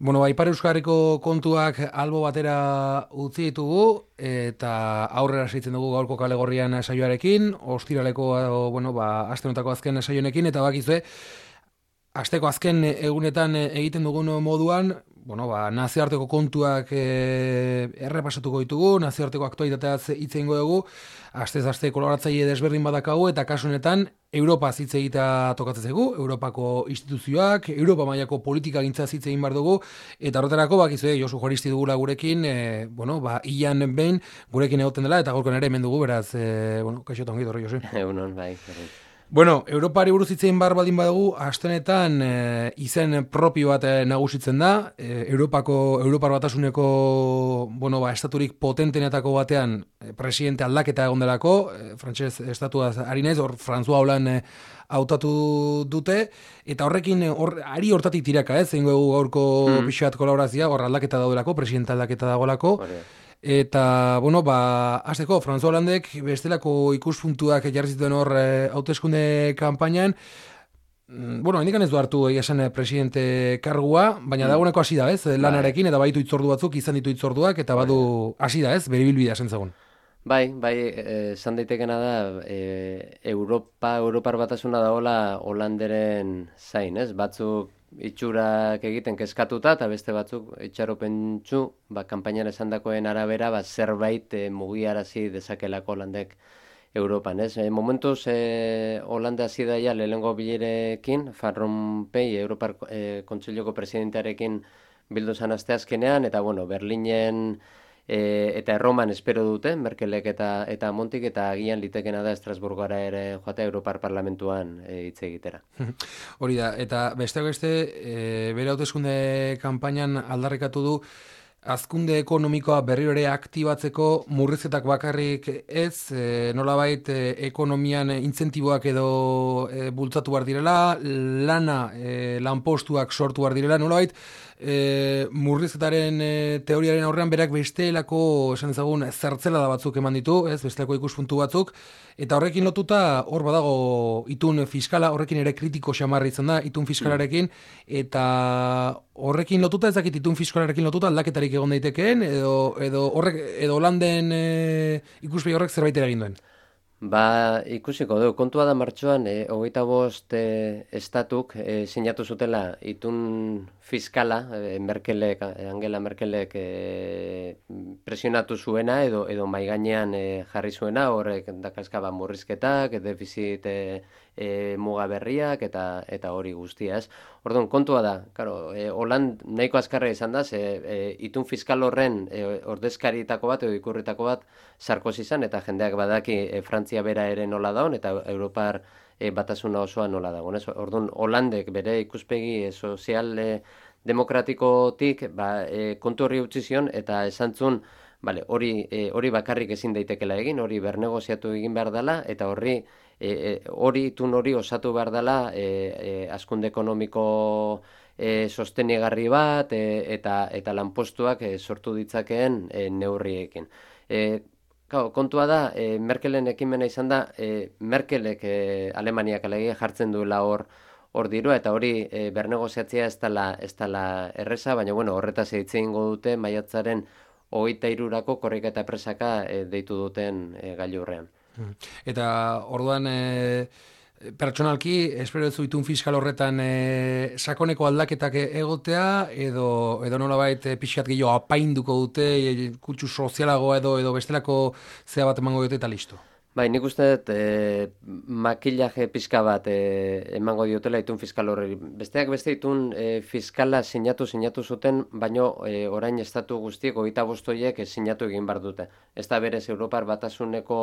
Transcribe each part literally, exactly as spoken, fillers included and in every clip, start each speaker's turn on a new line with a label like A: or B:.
A: Bueno, ba, Ipar Euskarriko kontuak albo batera utzi ditugu eta aurrera segitzen dugu gaurko kalegorrian saioarekin, ostiraleko bueno, ba aste honetako azken saionekin eta bakizue asteko azken egunetan egiten dugun moduan, bueno, ba, nazioarteko kontuak e, errepasatuko ditugu, nazioarteko aktualitateaz hitz egingo dugu, astez aste koloratzaile desberdin badakagu eta kasu honetan Europa hitz egitea tokatzen zaigu, Europako instituzioak, Europa mailako politika gintza hitz egin bar dugu eta horretarako bakizue Josu Juaristi dugula gurekin, e, bueno, ba ilan behin gurekin egoten dela eta gaurkoan ere hemen dugu, beraz, e, bueno, kaixo ta ongi etorri Josu.
B: Egunon, bai.
A: Bueno, Europari buruz hitz egin bar baldin badugu, astenetan e, izen propio bat e, nagusitzen da, e, Europako Europar Batasuneko, bueno, ba estaturik potentenetako batean e, presidente aldaketa egon delako, e, frantses estatuaz ari naiz, hor François Hollande e, hautatu dute eta horrekin hor ari hortatik tiraka, ez, zeingo dugu gaurko mm. pixat kolaborazioa, hor aldaketa daudelako, presidente aldaketa dagoelako. Eta, bueno, ba, azteko, François Hollandek bestelako ikuspuntuak jarri zituen hor hauteskunde e, kanpainan, bueno, hendikan ez du hartu egia esan presidente kargua, baina mm. dagoeneko hasi da, ez, lanarekin, eta baditu itzordu batzuk, izan ditu itzorduak, eta badu hasi da, ez, bere bilbidea sentzagun.
B: Bai, bai, esan daitekena da, e, Europa, Europar Batasuna dagoela Hollanderen zain, ez, batzuk itxurak egiten kezkatuta eta beste batzuk itxaropentsu, ba, kanpainan esandakoen arabera, ba, zerbait e, mugiarazi dezakelako Hollandek Europan, ez? E, momentuz, e, Hollanda hasi daia lehengo bilerekin, Van Rompuy, Europar e, Kontseiluko presidentearekin bildu zan asteazkenean, eta, bueno, Berlinen E, eta Erroman espero dute, Merkelek eta eta Montik, eta agian litekena da Estrasburgora ere joatea Europar Parlamentuan hitz e, egitera.
A: Hori da, eta besteak beste, e, bere hauteskunde kanpainan aldarrikatu du, hazkunde ekonomikoa berriro ere aktibatzeko murrizketak bakarrik ez, e, nolabait e, ekonomian intzentiboak edo e, bultzatu behar direla, lana, e, lanpostuak sortu behar direla, nolabait e, murrizketaren e, teoriaren aurrean berak bestelako, esan ezagun, zertzela da batzuk eman ditu, ez, bestelako ikuspuntu batzuk, eta horrekin lotuta hor badago itun fiskala, horrekin ere kritiko xamarri izan da, itun fiskalarekin, eta horrekin lotuta, ez dakit itun fiskalarekin lotuta aldaketarik egon daitekeen, edo, edo horrek, edo Hollanden e, ikuspegi horrek zerbait eragin duen.
B: Ba, ikusiko du, kontua da martxoan, e, hogeita bost e, estatuk e, sinatu zutela itun fiskala, e, Merkelek, Angela Merkelek e, presionatu zuena, edo edo mai gainean e, jarri zuena, horrek dakazkaba murrizketak, defizit e, e, muga berriak, eta eta hori guztia, ez? Orduan, kontua da, claro, e, Holand nahiko azkarra izan da, ze e, itun fiskal horren e, ordezkaritako bat, edo ikurritako bat, Sarkozy izan, eta jendeak badaki e, Frantzia bera ere nola daun, eta Europar e, batasuna osoa nola dagoen. Orduan, Hollandek bere ikuspegi e, sozial e, demokratikotik ba, e, kontu horri utzi zion, eta esantzun, vale, hori, e, hori bakarrik ezin daitekela egin, hori bernegoziatu egin behar dela, eta horri e, e, hori itun hori osatu behar dela e, e, hazkunde ekonomiko e, sostenigarri bat, e, eta, eta lanpostuak e, sortu ditzakeen e, neurriekin. E, Kau, kontua da, e, Merkelen ekimena izan da, e, Merkelek e, Alemaniak alegia jartzen duela hor hor dirua, eta hori e, bernegoziatzea ez dela, ez dela erreza, baina bueno, horretaz hitz egingo dute maiatzaren hogeita hirurako korrika eta presaka e, deitu duten e, gailurrean.
A: Eta orduan e, pertsonalki, espero ez itun fiskal horretan e, sakoneko aldaketak egotea, edo, edo nolabait e, pixkat gehiago apainduko dute, e, kutsu sozialagoa edo edo bestelako zea bat emango dute eta listo.
B: Bai, nik uste dut e, makillaje pixka bat e, emango diotela itun fiskal horri. Besteak beste itun e, fiskala sinatu sinatu zuten, baino e, orain estatu guztiek hogeita bost horiek sinatu egin bar dute. Ez da berez Europar Batasuneko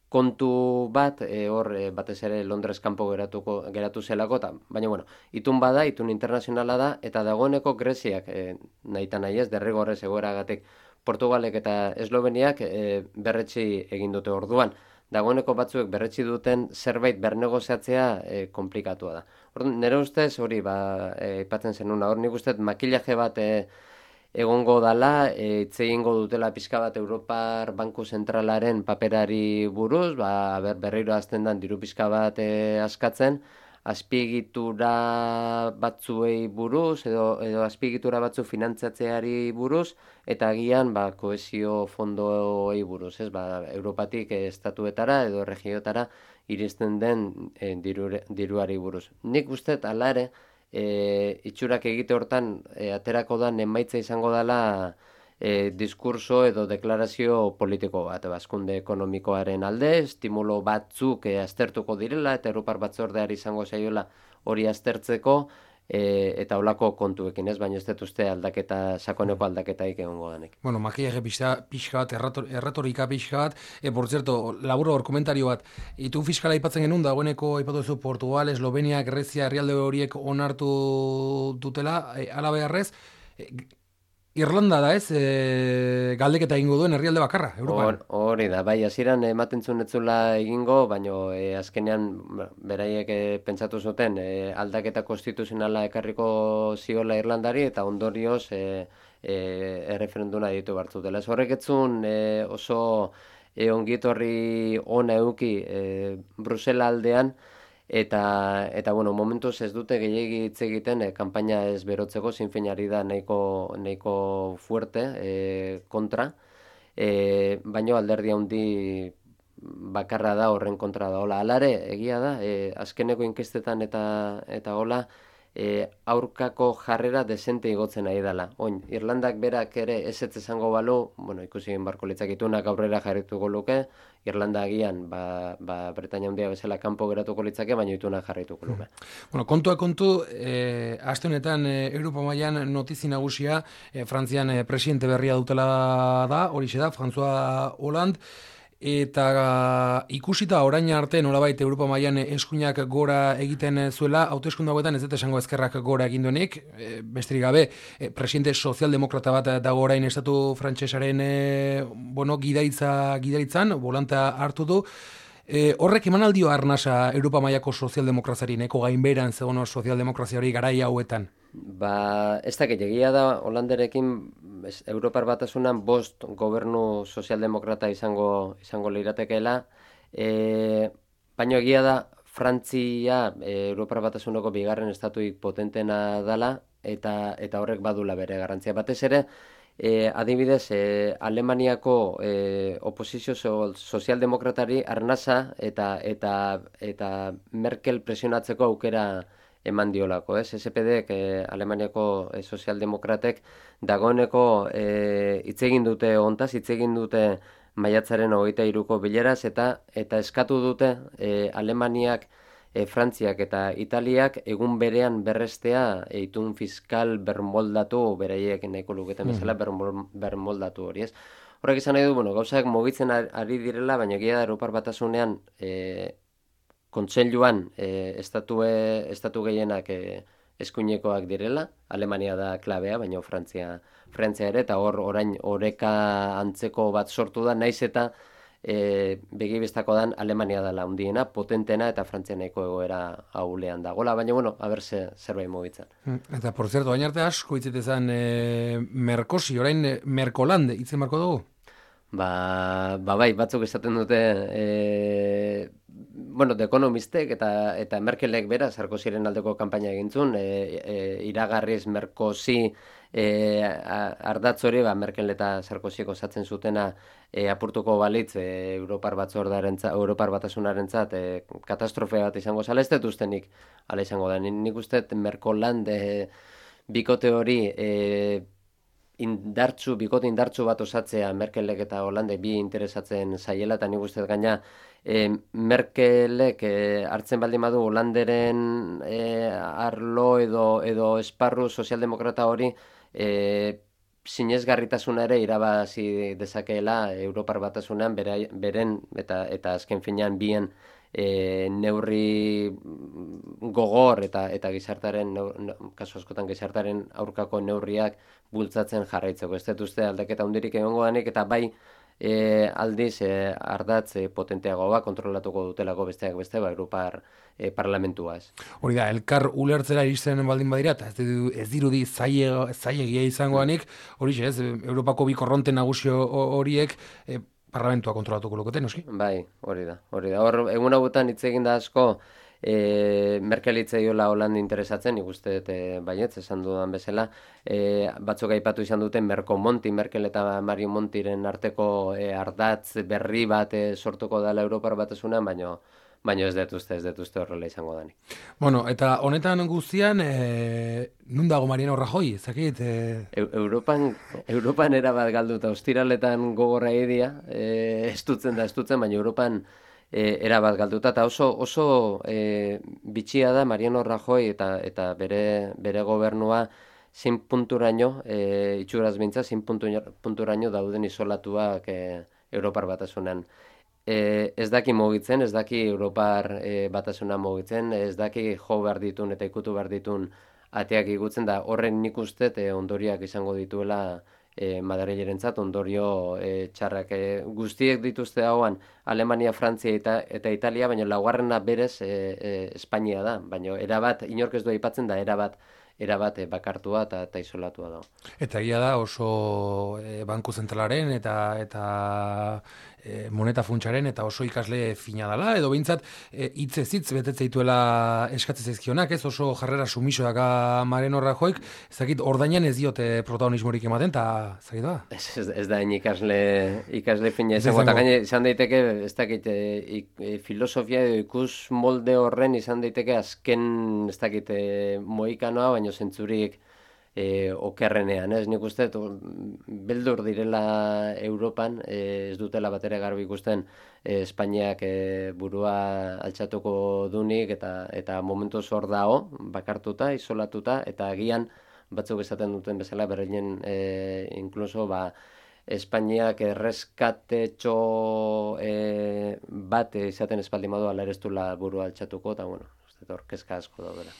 B: kontu bat, e, hor e, batez ere Londres kanpo geratuko geratu zelako, ta, baina bueno, itun bada, itun internazionala da, eta dagoeneko Greziak, e, nahita nahi ez, derrigorrez egoeragatik Portugalek eta Esloveniak e, berretsi egin dute orduan. Dagoeneko batzuek berretsi duten zerbait bernegoziatzea e, komplikatua da. Orduan, nire ustez, hori, ba, aipatzen e, zenuna, hor nik ustez makillaje bat e, egongo dala, hitz egingo dutela pixka bat Europar Banku Zentralaren paperari buruz, ba, ber, berriro azten dan diru pixka bat e, askatzen, azpiegitura batzuei buruz edo, edo azpiegitura batzu finantzatzeari buruz eta agian ba, kohesio fondoei buruz, ez? Ba, Europatik estatuetara edo regiotara iristen den e, dirure, diruari buruz. Nik uste ala ere e, itxurak egite hortan e, aterako da emaitza izango dela e, diskurso edo deklarazio politiko bat, bazkunde ekonomikoaren alde, estimulo batzuk e, aztertuko direla, eta Europar batzordeari izango zaiola hori aztertzeko, e, eta holako kontuekin, ez, baina ez dut uste aldaketa, sakoneko aldaketaik egongo danik.
A: Bueno, makillaje pixka bat, errator, erratorika pixka bat, e, por cierto, laburo hor komentario bat, itun fiskala aipatzen genuen, dagoeneko aipatu duzu Portugal, Eslovenia, Grezia, herrialde horiek onartu dutela, e, ala beharrez, e, Irlanda da ez, e, galdeketa egingo duen herrialde bakarra, Europan.
B: Hori da, bai, hasieran ematen zuen etzula egingo, baino e, azkenean beraiek e, pentsatu zuten e, aldaketa konstituzionala ekarriko ziola Irlandari eta ondorioz e, e, erreferenduna ditu bartzu dela. Ez horrek etzun e, oso e, ongietorri ona euki e, Brusela aldean, Eta, eta bueno, momentuz ez dute gehiagi hitz egiten e, kanpaina ez berotzeko, zinfeinari da nahiko, nahiko fuerte e, kontra, e, baino alderdi handi bakarra da horren kontra da. Hola, alare, egia da, e, azkeneko inkestetan eta, eta hola, e, aurkako jarrera desente igotzen nahi dela. Oin, Irlandak berak ere ezetz esango balu, bueno, ikusi egin barko litzakitunak aurrera jarrituko luke, Irlanda agian, ba, ba Bretainia handia bezala kanpo geratuko litzake, baina itunak jarrituko luke.
A: Bueno, kontua kontu, eh, aste honetan eh, Europa mailan notizi nagusia, eh, Frantzian eh, presidente berria dutela da, horixe da, François Hollande, eta ikusita orain arte nolabait Europa mailan eskuinak gora egiten zuela, hauteskunde hauetan ez dut esango ezkerrak gora egin duenik, e, besterik gabe, e, presidente sozialdemokrata bat dago orain estatu frantsesaren e, bueno, gidaritza gidaritzan, volanta hartu du. E, horrek eman aldio arnasa Europa mailako sozialdemokrazari, neko gainberan zegoen sozialdemokrazia hori garai hauetan?
B: Ba, ez dakit, egia da Holanderekin Europar Batasunan bost gobernu sozialdemokrata izango izango liratekeela, e, baina egia da Frantzia e, Europar Batasuneko bigarren estatuik potentena dala eta eta horrek badula bere garrantzia. Batez ere, e, adibidez, e, Alemaniako e, oposizio so, sozialdemokratari arnasa eta eta eta Merkel presionatzeko aukera eman diolako, ez? S P D-ek, eh, Alemaniako eh, sozialdemokratek dagoeneko eh, hitz egin dute hontaz, hitz egin dute maiatzaren hogeita hiruko bileraz eta eta eskatu dute eh, Alemaniak, eh, Frantziak eta Italiak egun berean berrestea eh, itun fiskal bermoldatu, beraiek nahiko luketen bezala bermoldatu hori, ez? Horrek izan nahi du, bueno, gauzak mugitzen ari direla, baina egia da Europar Batasunean eh, kontseiluan e, estatue, estatu gehienak e, eskuinekoak direla, Alemania da klabea, baina Frantzia, Frantzia ere, eta hor orain oreka antzeko bat sortu da, naiz eta e, begibistako dan Alemania dela handiena, potentena eta Frantzia nahiko egoera ahulean dagoela, baina bueno, haber ze, zerbait mugitzen.
A: Eta, por cierto, baina arte asko hitzitezan e, Merkosi, orain e, Merkoland, hitzen marko dugu?
B: Ba, ba bai, batzuk esaten dute e, bueno, The Economistek eta eta Merkelek bera Sarkoziren aldeko kanpaina egintzun, e, e, iragarriz Merkosi e, ardatz hori, ba, Merkel eta Sarkoziek osatzen zutena e, apurtuko balitz e, Europar batzordearentzat, Europar batasunarentzat e, katastrofe bat izango zala, ez dut ustenik ala izango da. Nik uste Merkoland e, bikote hori e, indartzu, bikote indartzu bat osatzea Merkelek eta Hollande bi interesatzen zaiela, eta nik uste gaina e, Merkelek e, hartzen baldin badu Hollanderen e, arlo edo, edo esparru sozialdemokrata hori e, sinesgarritasuna ere irabazi dezakeela Europar Batasunean bere, beren eta, eta azken finean bien E, neurri gogor eta eta gizartaren kasu askotan gizartaren aurkako neurriak bultzatzen jarraitzeko. Ez dut uste aldaketa hundirik egongo danik eta bai e, aldiz e, ardatz e, potenteagoa kontrolatuko dutelako besteak beste ba Europar e, parlamentua ez.
A: Hori da, elkar ulertzera iristen baldin badira eta ez, ez dirudi zailegia izango danik, hori ez, Europako bi korronte nagusio horiek e, parlamentua kontrolatuko luketen, noski?
B: Bai, hori da, hori da. Hor, egun hauetan hitz egin da asko, e, Merkel itzaiola Hollande interesatzen, nik uste dut e, baietz, esan dudan bezala, e, batzuk aipatu izan duten Merko Monti, Merkel eta Mario Montiren arteko e, ardatz berri bat e, sortuko dela Europar Batasunean, baino baina ez dut uste, ez dut uste horrela izango dani.
A: Bueno, eta honetan guztian, e, nun dago Mariano Rajoy, ezakit? E...
B: Europan, Europan erabat galduta, ostiraletan gogorra egia, e, estutzen da, estutzen, baina Europan e, erabat galduta, eta oso, oso e, bitxia da Mariano Rajoy eta, eta bere, bere gobernua zin punturaino, e, itxuraz bintza, zin punturaino dauden isolatuak e, Europar Batasunan. E, ez daki mugitzen, ez daki Europar e, Batasuna mugitzen, ez daki jo behar ditun eta ikutu behar ditun ateak igutzen da, horren nik uste e, ondoriak izango dituela e, Madrilerentzat, ondorio e, txarrak. E, guztiek dituzte hauan Alemania, Frantzia eta, eta Italia, baina laugarrena berez e, e, Espainia da, baina erabat, inork ez du aipatzen da, erabat erabat bakartua eta, eta isolatua da.
A: Eta egia da oso e, banku zentralaren eta eta e, moneta funtsaren eta oso ikasle fina dela, edo behintzat hitz ez hitz betetze dituela eskatzen zaizkionak, ez oso jarrera sumiso daka Mariano Rajoyk, ez dakit ordainan ez diote protagonismorik ematen, eta ez dakit da?
B: Ez, ez, ez da ikasle, ikasle fina izango, eta gaine izan daiteke, ez dakit, e, e, filosofia edo ikus molde horren izan daiteke azken, ez dakit, e, moikanoa, baina zentzurik e, okerrenean, ez nik uste, beldur direla Europan, e, ez dutela batera garbi ikusten e, Espainiak e, burua altxatuko dunik, eta, eta momentu hor dao, bakartuta, isolatuta, eta agian batzuk esaten duten bezala, berreinen e, inkluso, ba, Espainiak erreskatetxo e, bat izaten espaldi madu ala ereztula burua altxatuko, eta bueno, uste, orkezka asko daudela.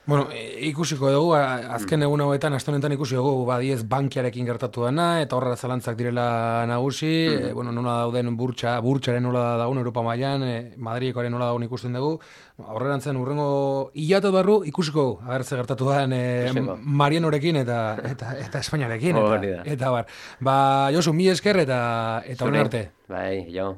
A: Bueno, ikusiko dugu, azken egun hauetan, aste honetan ikusi dugu, badiez bankiarekin gertatu dena, eta horra zalantzak direla nagusi, mm. e, bueno, nola dauden burtsa, burtsaren nola dagoen Europa mailan, e, Madrilekoaren nola dagoen ikusten dugu, horrerantzen urrengo hilate barru ikusiko dugu, ager ze gertatu den e, Marianorekin eta eta, eta Espainiarekin, eta, eta bar. Ba, Josu, mi esker eta eta horren arte.
B: Bai, jo.